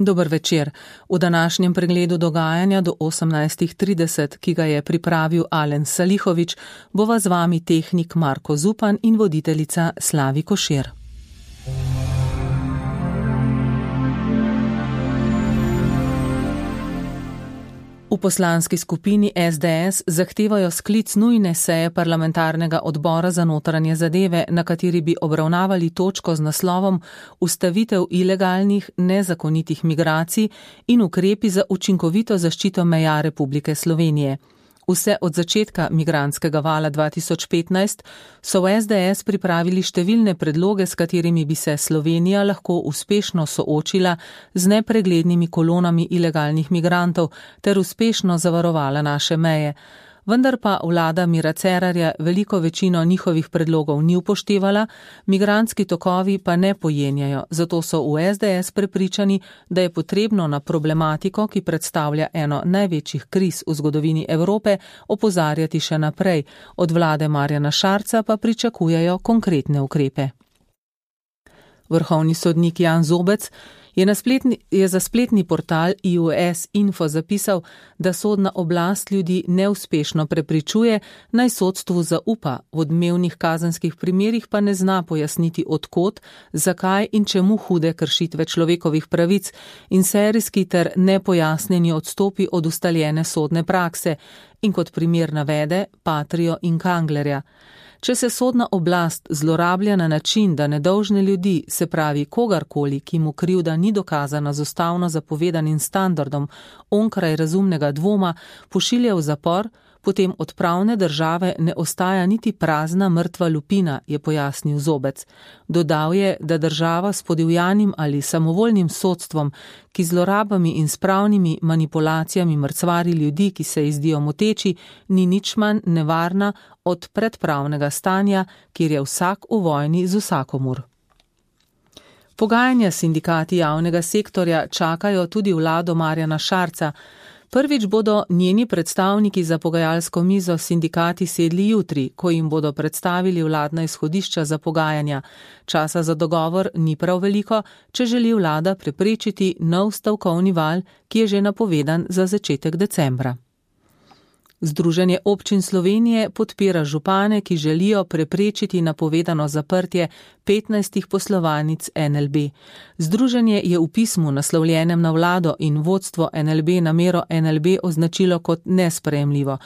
Dober večer. V današnjem pregledu dogajanja do 18:30, ki ga je pripravil Alen Salihović, bova z vami tehnik Marko Zupan in voditeljica Slavi Košir. V poslanski skupini SDS zahtevajo sklic nujne seje parlamentarnega odbora za notranje zadeve, na kateri bi obravnavali točko z naslovom Ustavitev ilegalnih, nezakonitih migracij in ukrepi za učinkovito zaščito meja Republike Slovenije. Vse od začetka migrantskega vala 2015 so v SDS pripravili številne predloge, s katerimi bi se Slovenija lahko uspešno soočila z nepreglednimi kolonami ilegalnih migrantov ter uspešno zavarovala naše meje. Vendar pa vlada Mira Cerarja veliko večino njihovih predlogov ni upoštevala, migrantski tokovi pa ne pojenjajo, zato so v SDS prepričani, da je potrebno na problematiko, ki predstavlja eno največjih kriz v zgodovini Evrope, opozarjati še naprej. Od vlade Marjana Šarca pa pričakujejo konkretne ukrepe. Vrhovni sodnik Jan Zobec je za spletni portal IUS Info zapisal, da sodna oblast ljudi neuspešno prepričuje, naj sodstvu zaupa, v odmevnih kazenskih primerih pa ne zna pojasniti odkot, zakaj in čemu hude kršitve človekovih pravic in serijski ter nepojasnjeni odstopi od ustaljene sodne prakse in kot primer navede Patrio in Kanglerja. Če se sodna oblast zlorablja na način, da nedolžne ljudi, se pravi kogarkoli, ki mu krivda ni dokazana z ustavno zapovedanim standardom, onkraj razumnega dvoma, pošilja v zapor, potem od pravne države ne ostaja niti prazna mrtva lupina, je pojasnil Zobec. Dodal je, da država s podivjanim ali samovoljnim sodstvom, ki zlorabami in s pravnimi manipulacijami mrcvari ljudi, ki se izdijo moteči, ni nič manj nevarna od predpravnega stanja, kjer je vsak v vojni z vsakomur. Pogajanja s sindikati javnega sektorja čakajo tudi vlado Marjana Šarca. Prvič bodo njeni predstavniki za pogajalsko mizo s sindikati sedli jutri, ko jim bodo predstavili vladna izhodišča za pogajanja. Časa za dogovor ni prav veliko, če želi vlada preprečiti nov stavkovni val, ki je že napovedan za začetek decembra. Združenje občin Slovenije podpira župane, ki želijo preprečiti napovedano zaprtje 15 poslovalnic NLB. Združenje je v pismu naslovljenem na vlado in vodstvo NLB namero NLB označilo kot nesprejemljivo.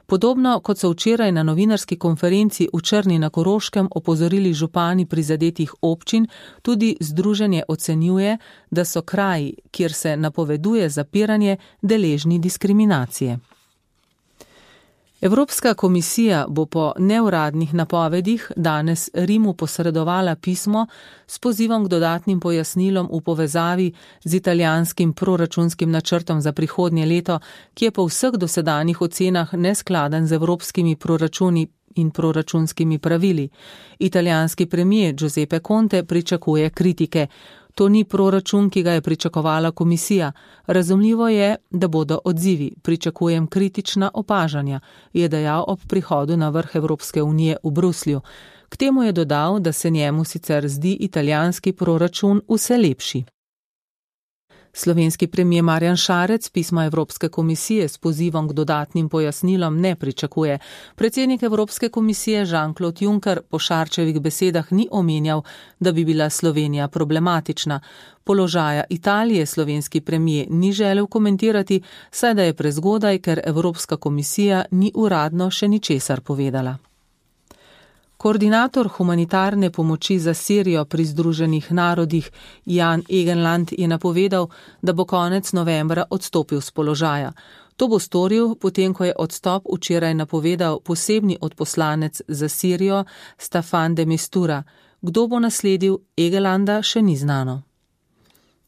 Podobno kot so včeraj na novinarski konferenci v Črni na Koroškem opozorili župani prizadetih občin, tudi združenje ocenjuje, da so kraji, kjer se napoveduje zapiranje, deležni diskriminacije. Evropska komisija bo po neuradnih napovedih danes Rimu posredovala pismo s pozivom k dodatnim pojasnilom v povezavi z italijanskim proračunskim načrtom za prihodnje leto, ki je po vseh dosedanjih ocenah neskladen z evropskimi proračuni in proračunskimi pravili. Italijanski premier Giuseppe Conte pričakuje kritike. To ni proračun, ki ga je pričakovala komisija. Razumljivo je, da bodo odzivi. Pričakujem kritična opažanja, je dejal ob prihodu na vrh Evropske unije v Bruslju. K temu je dodal, da se njemu sicer zdi italijanski proračun vse lepši. Slovenski premier Marjan Šarec pisma Evropske komisije s pozivom k dodatnim pojasnilom ne pričakuje. Predsednik Evropske komisije Jean-Claude Juncker po Šarčevih besedah ni omenjal, da bi bila Slovenija problematična. Položaja Italije slovenski premier ni želel komentirati, saj da je prezgodaj, ker Evropska komisija ni uradno še ničesar povedala. Koordinator humanitarne pomoči za Sirijo pri Združenih narodih Jan Egeland je napovedal, da bo konec novembra odstopil z položaja. To bo storil, potem ko je odstop včeraj napovedal posebni odposlanec za Sirijo Staffan de Mistura. Kdo bo nasledil Egelanda, še ni znano.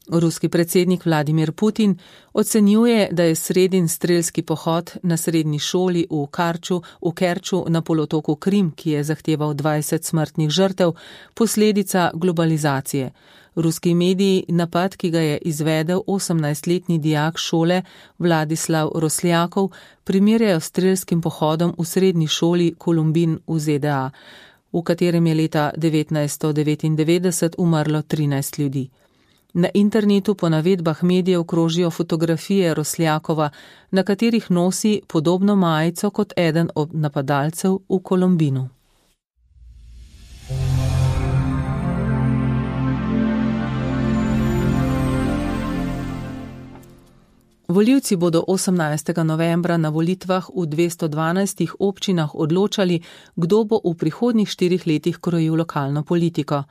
Ruski predsednik Vladimir Putin ocenjuje, da je sredin strelski pohod na srednji šoli v Kerču na polotoku Krim, ki je zahteval 20 smrtnih žrtev, posledica globalizacije. Ruski mediji napad, ki ga je izvedel 18-letni dijak šole Vladislav Rosljakov, primerjajo s strelskim pohodom v srednji šoli Columbine v ZDA, v katerem je leta 1999 umrlo 13 ljudi. Na internetu po navedbah medijev krožijo fotografije Rosljakova, na katerih nosi podobno majico kot eden od napadalcev v Kolombinu. Volivci bodo 18. novembra na volitvah v 212 občinah odločali, kdo bo v prihodnjih 4 letih krojil lokalno politiko.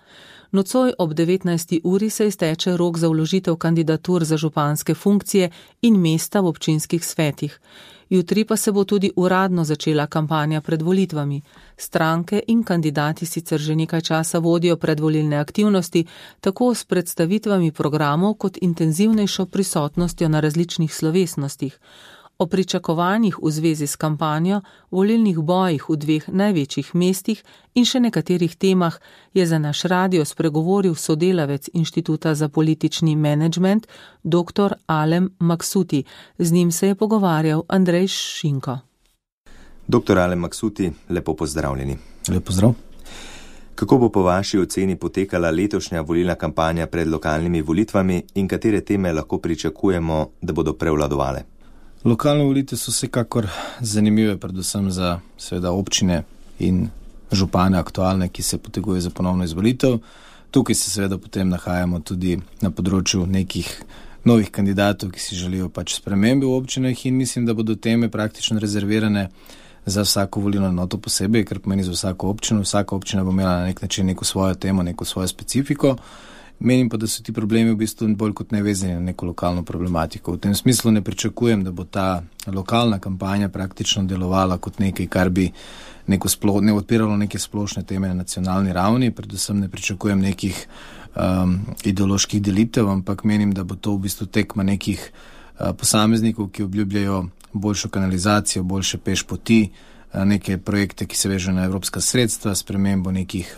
Nocoj ob 19. uri se izteče rok za vložitev kandidatur za županske funkcije in mesta v občinskih svetih. Jutri pa se bo tudi uradno začela kampanja pred volitvami. Stranke in kandidati sicer že nekaj časa vodijo predvolilne aktivnosti, tako s predstavitvami programov kot intenzivnejšo prisotnostjo na različnih slovesnostih. O pričakovanjih v zvezi s kampanjo, volilnih bojih v 2 največjih mestih in še nekaterih temah je za naš radio spregovoril sodelavec Inštituta za politični menedžment dr. Alem Maksuti. Z njim se je pogovarjal Andrej Šinko. Dr. Alem Maksuti, lepo pozdravljeni. Lep pozdrav. Kako bo po vaši oceni potekala letošnja volilna kampanja pred lokalnimi volitvami in katere teme lahko pričakujemo, da bodo prevladovale? Lokalne volitve so vsekakor zanimive, predvsem za seveda občine in župane aktualne, ki se potegujejo za ponovno izvolitev. Tukaj se seveda potem nahajamo tudi na področju nekih novih kandidatov, ki si želijo pač spremembe v občinah in mislim, da bodo teme praktično rezervirane za vsako volilno enoto posebej, ker pomeni za vsako občino. Vsaka občina bo imela na nek način neko svojo temo, neko svojo specifiko. Menim pa, da so ti problemi v bistvu bolj kot nevezani na neko lokalno problematiko. V tem smislu ne pričakujem, da bo ta lokalna kampanja praktično delovala kot nekaj, kar bi ne odpiralo neke splošne teme na nacionalni ravni. Predvsem ne pričakujem nekih ideoloških delitev, ampak menim, da bo to v bistvu tekma nekih posameznikov, ki obljubljajo boljšo kanalizacijo, boljše pešpoti, neke projekte, ki se vežejo na evropska sredstva, spremembo nekih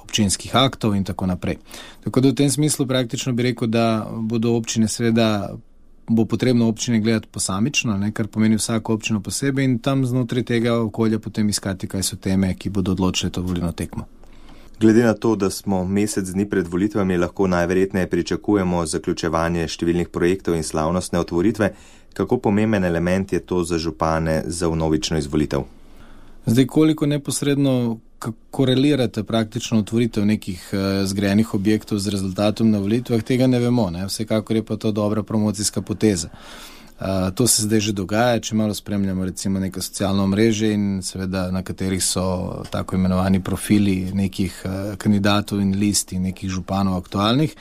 občinskih aktov in tako naprej. Tako da v tem smislu praktično bi rekel, da bodo občine seveda, bo potrebno občine gledati posamično, kar pomeni vsako občino posebej in tam znotraj tega okolja potem iskati, kaj so teme, ki bodo odločile to volilno tekmo. Glede na to, da smo mesec dni pred volitvami, lahko najverjetneje pričakujemo zaključevanje številnih projektov in slavnostne otvoritve. Kako pomemben element je to za župane za vnovično izvolitev? Zdaj, koliko neposredno korelirate praktično otvoritev nekih zgrajenih objektov z rezultatom na volitvah, tega ne vemo. Vsekakor je pa to dobra promocijska poteza. To se zdaj že dogaja, če malo spremljamo recimo neka socialna omrežja in seveda na katerih so tako imenovani profili nekih kandidatov in list in nekih županov aktualnih.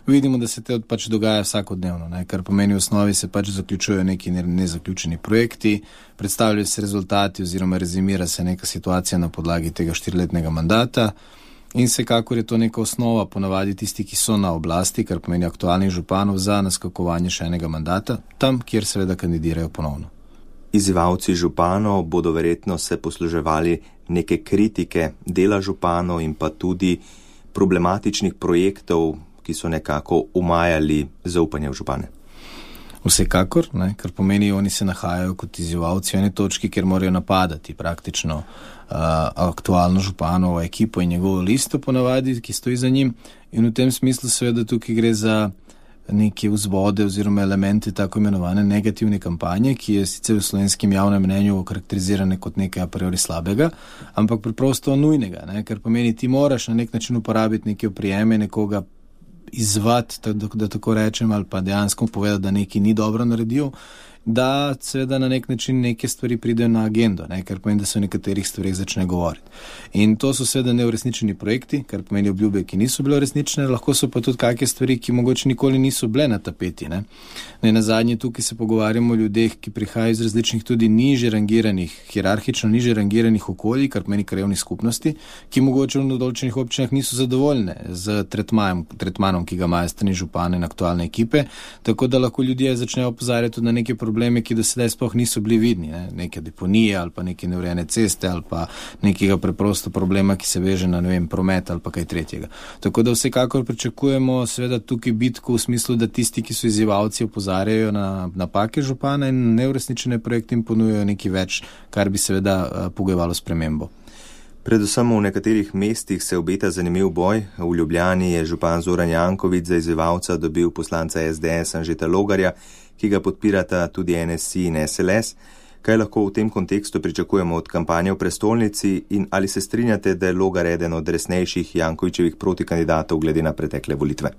Vidimo, da se te pač dogaja vsakodnevno, kar pomeni v osnovi se pač zaključujejo neki nezaključeni projekti, predstavljajo se rezultati oziroma rezimira se neka situacija na podlagi tega 4-letnega mandata in vsekakor je to neka osnova ponavadi tisti, ki so na oblasti, kar pomeni aktualnih županov za naskakovanje še enega mandata, tam, kjer seveda kandidirajo ponovno. Izzivalci županov bodo verjetno se posluževali neke kritike dela županov in pa tudi problematičnih projektov, ki so nekako umajali zaupanje v župane. Vsekakor, kar pomeni, oni se nahajajo kot izzivalci v eni točki, kjer morajo napadati praktično aktualno županovo ekipo in njegovo listo ponavadi, ki stoji za njim. In v tem smislu seveda tukaj gre za neke vzvode oziroma elemente tako imenovane negativne kampanje, ki je sicer v slovenskem javnem mnenju okarakterizirane kot nekaj a priori slabega, ampak preprosto nujnega, ker pomeni, ti moraš na nek način uporabiti neke oprijeme, nekoga izvati, da tako rečem, ali pa dejansko povedati, da nekaj ni dobro naredil, da seveda na nek način neke stvari pridejo na agendo, ker pomeni, da se o nekaterih stvarih začne govoriti. In to so seveda neuresničeni projekti, kar pomeni obljube, ki niso bile uresničene, lahko so pa tudi kakšne stvari, ki mogoče nikoli niso bile na tapeti. Na zadnje tukaj se pogovarjamo o ljudeh, ki prihajajo iz različnih tudi niže rangiranih, hierarhično niže rangiranih okolij, kar pomeni krajevnih skupnosti, ki mogoče v določenih občinah niso zadovoljne z tretmanom, ki ga imajo strani župane in aktualne ekipe, tako da lahko ljudje začnejo opozarjati na neke probleme, ki do sedaj sploh niso bili vidni, neke deponije ali pa neke neurejene ceste ali pa nekega preprosto problema, ki se veže na, promet ali pa kaj tretjega. Tako da vsekakor pričakujemo seveda tukaj bitko v smislu, da tisti, ki so izzivalci, opozarjajo na napake župana in neuresničene projekte in ponujajo nekaj več, kar bi seveda pogojevalo spremembo. Predvsem v nekaterih mestih se obeta zanimiv boj. V Ljubljani je župan Zoran Janković za izzivalca dobil poslanca SDS Anžeta Logarja, ki ga podpirata tudi NSI in SLS. Kaj lahko v tem kontekstu pričakujemo od kampanje v prestolnici in ali se strinjate, da je Logar eden od resnejših Jankovićevih protikandidatov glede na pretekle volitve?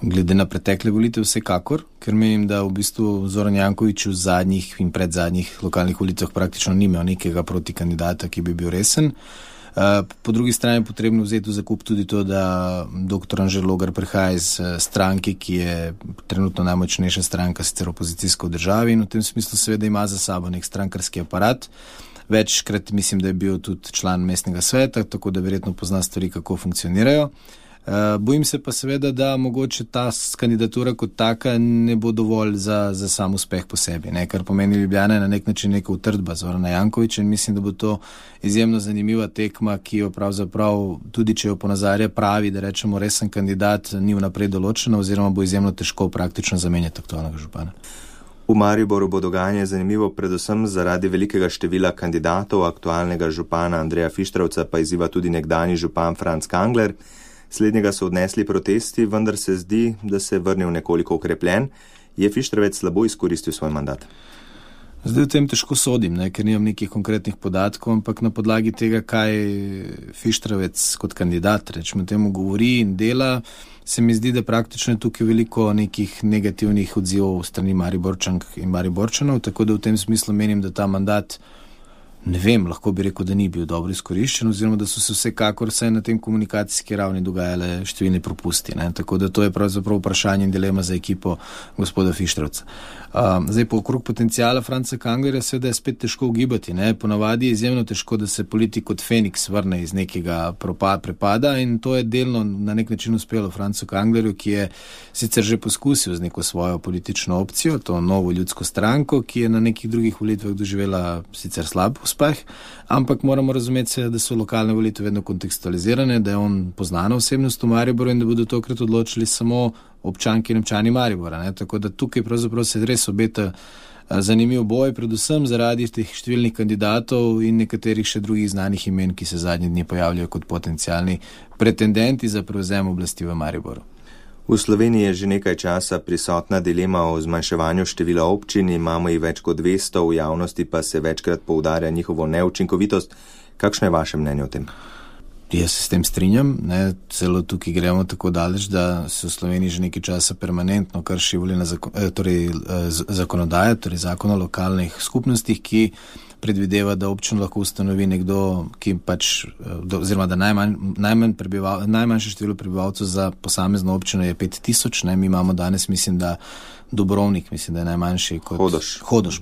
Glede na pretekle volitve vsekakor, ker menim, da v bistvu Zoran Janković v zadnjih in predzadnjih lokalnih volitvah praktično ni imel nekega protikandidata, ki bi bil resen. Po drugi strani je potrebno vzeti v zakup tudi to, da dr. Anže Logar prihaja iz stranke, ki je trenutno najmočnejša stranka, sicer opozicijska v državi, in v tem smislu seveda ima za sabo nek strankarski aparat. Večkrat mislim, da je bil tudi član mestnega sveta, tako da verjetno pozna stvari, kako funkcionirajo. Bojim se pa seveda, da mogoče ta kandidatura kot taka ne bo dovolj za sam uspeh po sebi, ne? Kar pomeni Ljubljana je na nek način neka utrdba Zorana Jankovića in mislim, da bo to izjemno zanimiva tekma, ki jo pravzaprav, tudi če jo ponazarja pravi, da rečemo resen kandidat, ni vnaprej določena oziroma bo izjemno težko praktično zamenjati aktualnega župana. V Mariboru bo dogajanje zanimivo predvsem zaradi velikega števila kandidatov, aktualnega župana Andreja Fištravca pa izziva tudi nekdanji župan Franc Kangler. Slednjega so odnesli protesti, vendar se zdi, da se je vrnil nekoliko okrepljen. Je Fištravec slabo izkoristil svoj mandat? Zdaj v tem težko sodim, ker nimam nekih konkretnih podatkov, ampak na podlagi tega, kaj Fištravec kot kandidat, rečemo temu, govori in dela, se mi zdi, da praktično je tukaj veliko nekih negativnih odzivov strani Mariborčank in Mariborčanov, tako da v tem smislu menim, da ta mandat, ne vem, lahko bi rekel, da ni bil dobro izkoriščen, oziroma da so se vsekakor vse na tem komunikacijski ravni dogajale številni propusti. Tako da to je pravzaprav vprašanje in dilema za ekipo gospoda Fištravca. Zdaj, po okrog potencijala Franca Kanglerja seveda je spet težko ugibati. Ponavadi je izjemno težko, da se politik kot Feniks vrne iz nekega prepada in to je delno na nek način uspelo Francu Kanglerju, ki je sicer že poskusil z neko svojo politično opcijo, to novo ljudsko stranko, ki je na nekih drugih volitvah doživela sicer slab uspeh, ampak moramo razumeti, da so lokalne volitve vedno kontekstualizirane, da je on poznana osebnost v Mariboru in da bodo tokrat odločili samo občanki in občani Maribora. Tako da tukaj pravzaprav se res obeta zanimiv boj, predvsem zaradi teh številnih kandidatov in nekaterih še drugih znanih imen, ki se zadnji dni pojavljajo kot potencialni pretendenti za prevzem oblasti v Mariboru. V Sloveniji je že nekaj časa prisotna dilema o zmanjševanju števila občin, imamo jih več kot 200, v javnosti pa se večkrat poudarja njihovo neučinkovitost. Kakšno je vaše mnenje o tem? Jaz se s tem strinjam, celo tukaj gremo tako daleč, da se v Sloveniji že nekaj časa permanentno krši zakonodaja, torej zakon o lokalnih skupnostih, ki predvideva, da občino lahko ustanovi nekdo, ki oziroma da najmanjše število prebivalcev za posamezno občino je 5000, mi imamo danes, mislim, da Dobrovnik, mislim, da je najmanjši kot Hodoš,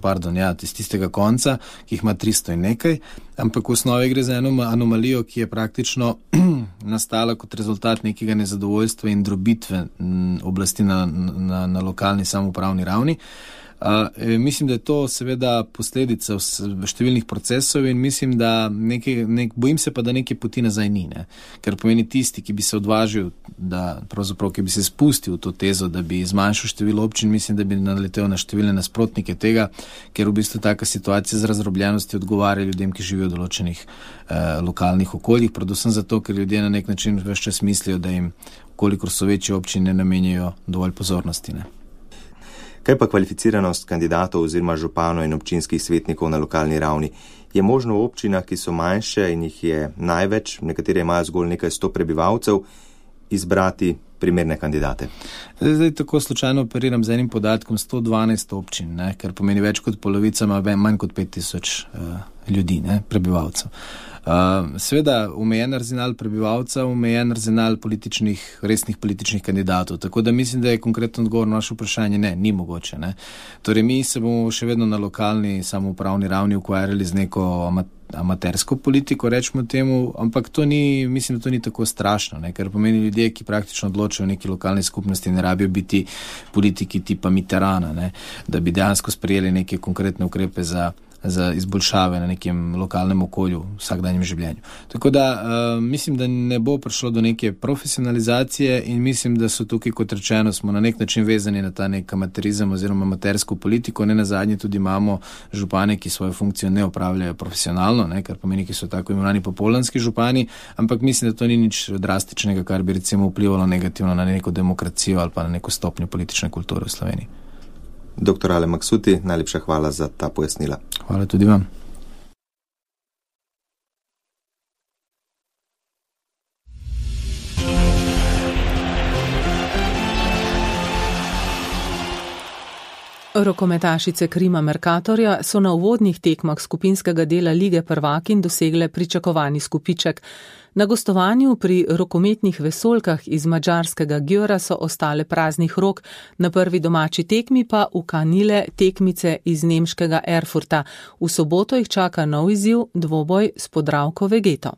iz tistega konca, ki jih ima 300 in nekaj, ampak v osnovi gre za eno anomalijo, ki je praktično nastala kot rezultat nekega nezadovoljstva in drobitve oblasti na lokalni samoupravni ravni. Mislim, da je to seveda posledica številnih procesov in mislim, da bojim se pa, da neke poti nazaj ni, ker pomeni tisti, ki bi se odvažil, da pravzaprav, ki bi se spustil v to tezo, da bi zmanjšal število občin, mislim, da bi naletel na številne nasprotnike tega, ker v bistvu taka situacija z razdrobljenosti odgovarja ljudem, ki živijo v določenih lokalnih okoljih, predvsem zato, ker ljudje na nek način ves čas mislijo, da jim, kolikor so večje občine, namenjajo dovolj pozornosti. Kaj pa kvalificiranost kandidatov oziroma županov in občinskih svetnikov na lokalni ravni? Je možno v občinah, ki so manjše in jih je največ, nekatere imajo zgolj nekaj 100 prebivalcev, izbrati primerne kandidate? Zdaj tako slučajno operiram z enim podatkom 112 občin, ker pomeni več kot polovica ima manj kot 5000 ljudi, prebivalcev. Seveda omejen arzenal prebivalca, omejen arzenal resnih političnih kandidatov, tako da mislim, da je konkretno odgovor na naše vprašanje ni mogoče. Torej mi se bomo še vedno na lokalni samoupravni ravni ukvarjali z neko amatersko politiko, rečemo temu, ampak mislim, da to ni tako strašno, ker pomeni ljudje, ki praktično odločajo v neki lokalni skupnosti, ne rabijo biti politiki tipa Mitterranda, da bi dejansko sprejeli neke konkretne ukrepe za za izboljšave na nekem lokalnem okolju v vsakdanjem življenju. Tako da mislim, da ne bo prišlo do neke profesionalizacije in mislim, da so tukaj, kot rečeno, smo na nek način vezani na ta nek amaterizem oziroma amatersko politiko. Ne nazadnje tudi imamo župane, ki svojo funkcijo ne opravljajo profesionalno, ne, kar pomeni, ki so tako imenovani popoldanski župani, ampak mislim, da to ni nič drastičnega, kar bi recimo vplivalo negativno na neko demokracijo ali pa na neko stopnjo politične kulture v Sloveniji. Dr. Ale Maksuti, najlepša hvala za ta pojasnila. Hvala tudi vam. Rokometašice Krima Mercatorja so na uvodnih tekmah skupinskega dela Lige prvakinj dosegle pričakovani skupiček. Na gostovanju pri rokometnih vesoljkah iz madžarskega Győra so ostale praznih rok, na prvi domači tekmi pa ukanile tekmice iz nemškega Erfurta. V soboto jih čaka nov izziv, dvoboj s Podravko Vegeto.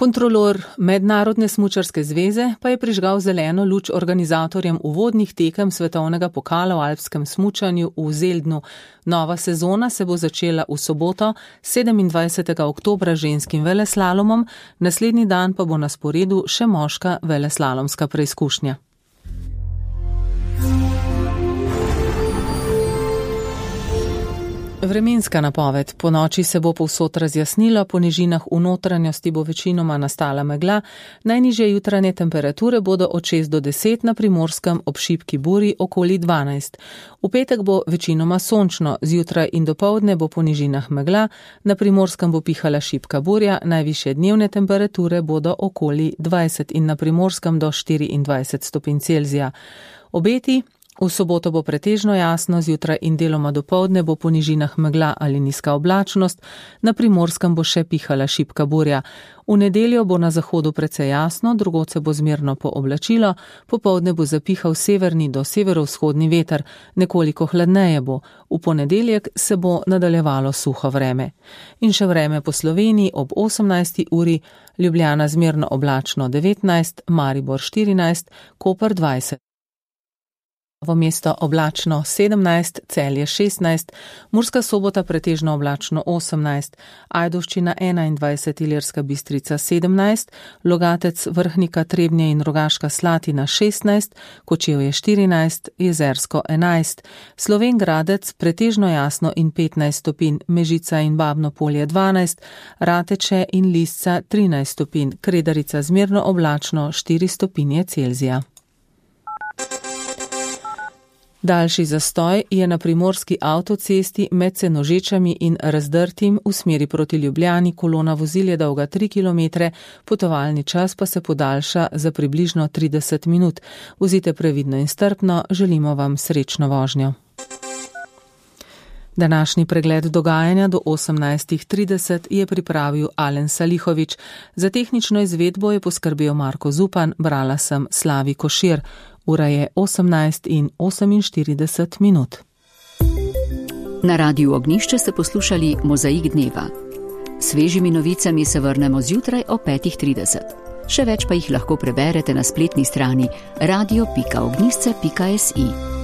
Kontrolor Mednarodne smučarske zveze pa je prižgal zeleno luč organizatorjem uvodnih tekem svetovnega pokala v alpskem smučanju v Zeldnu. Nova sezona se bo začela v soboto, 27. oktobra ženskim veleslalomom, naslednji dan pa bo na sporedu še moška veleslalomska preizkušnja. Vremenska napoved. Po noči se bo povsod razjasnilo, po nižinah v notranjosti bo večinoma nastala megla, najnižje jutranje temperature bodo od 6 do 10, na Primorskem ob šibki buri okoli 12. V petek bo večinoma sončno, zjutraj in dopoldne bo po nižinah megla, na Primorskem bo pihala šibka burja, najvišje dnevne temperature bodo okoli 20 in na Primorskem do 24 stopinj Celzija. Obeti. V soboto bo pretežno jasno, zjutraj in deloma dopoldne bo po nižinah megla ali nizka oblačnost, na Primorskem bo še pihala šibka burja. V nedeljo bo na zahodu precej jasno, drugod se bo zmerno pooblačilo, popoldne bo zapihal severni do severovzhodni veter, nekoliko hladneje bo. V ponedeljek se bo nadaljevalo suho vreme. In še vreme po Sloveniji ob 18. uri, Ljubljana zmerno oblačno 19, Maribor 14, Koper 20. V mesto oblačno 17, Celje 16, Murska Sobota pretežno oblačno 18, Ajdovščina 21, Ilirska Bistrica 17, Logatec, Vrhnika, Trebnje in Rogaška Slatina 16, Kočevje 14, Jezersko 11, Slovenj Gradec pretežno jasno in 15 stopinj, Mežica in Babno Polje 12, Rateče in Lisca 13 stopinj, Kredarica zmerno oblačno 4 stopinje Celzija. Daljši zastoj je na primorski avtocesti med Senožečami in Razdrtim v smeri proti Ljubljani, kolona vozil je dolga 3 km, potovalni čas pa se podaljša za približno 30 minut. Vozite previdno in strpno, želimo vam srečno vožnjo. Današnji pregled dogajanja do 18:30 je pripravil Alen Salihovič. Za tehnično izvedbo je poskrbel Marko Zupan, brala sem Slavi Košir. Ura je 18:48. Na Radiu Ognjišče ste poslušali Mozaik dneva. Svežimi novicami se vrnemo zjutraj o 5:30. Še več pa jih lahko preberete na spletni strani radio.ognjišče.si.